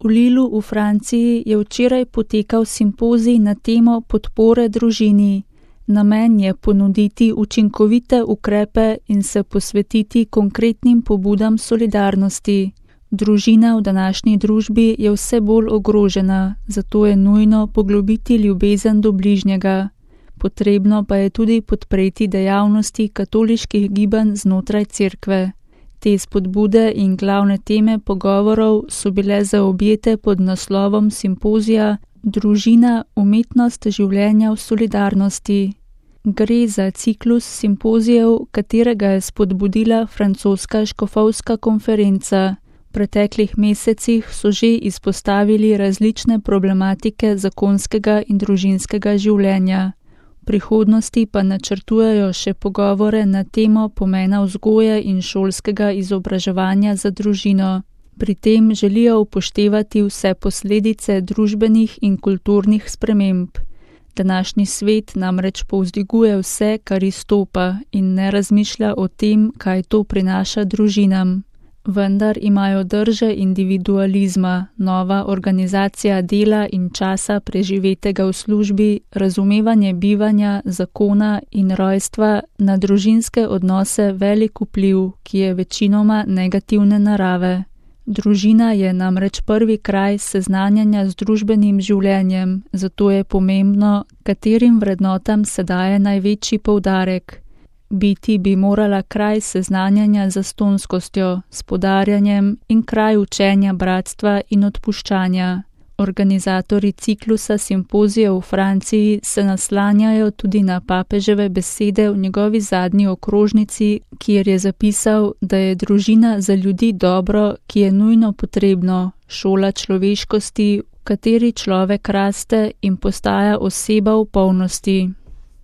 V Lillu v Franciji je včeraj potekal simpozij na temo podpore družini. Namen je ponuditi učinkovite ukrepe in se posvetiti konkretnim pobudam solidarnosti. Družina v današnji družbi je vse bolj ogrožena, zato je nujno poglobiti ljubezen do bližnjega. Potrebno pa je tudi podpreti dejavnosti katoliških gibanj znotraj cerkve. Te spodbude in glavne teme pogovorov so bile zaobjete pod naslovom simpozija Družina, umetnost življenja v solidarnosti. Gre za ciklus simpozijev, katerega je spodbudila francoska škofovska konferenca. V preteklih mesecih so že izpostavili različne problematike zakonskega in družinskega življenja. V prihodnosti pa načrtujejo še pogovore na temo pomena vzgoje in šolskega izobraževanja za družino. Pri tem želijo upoštevati vse posledice družbenih in kulturnih sprememb. Današnji svet namreč povzdiguje vse, kar izstopa, in ne razmišlja o tem, kaj to prinaša družinam. Vendar imajo drže individualizma, nova organizacija dela in časa preživetega v službi, razumevanje bivanja, zakona in rojstva na družinske odnose velik vpliv, ki je večinoma negativne narave. Družina je namreč prvi kraj seznanjanja z družbenim življenjem, zato je pomembno, katerim vrednotam se daje največji poudarek. Biti bi morala kraj seznanjanja z zastonskostjo, s podarjanjem in kraj učenja bratstva in odpuščanja. Organizatorji ciklusa simpozijev v Franciji se naslanjajo tudi na papeževe besede v njegovi zadnji okrožnici, kjer je zapisal, da je družina za ljudi dobro, ki je nujno potrebno, šola človeškosti, v kateri človek raste in postaja oseba v polnosti.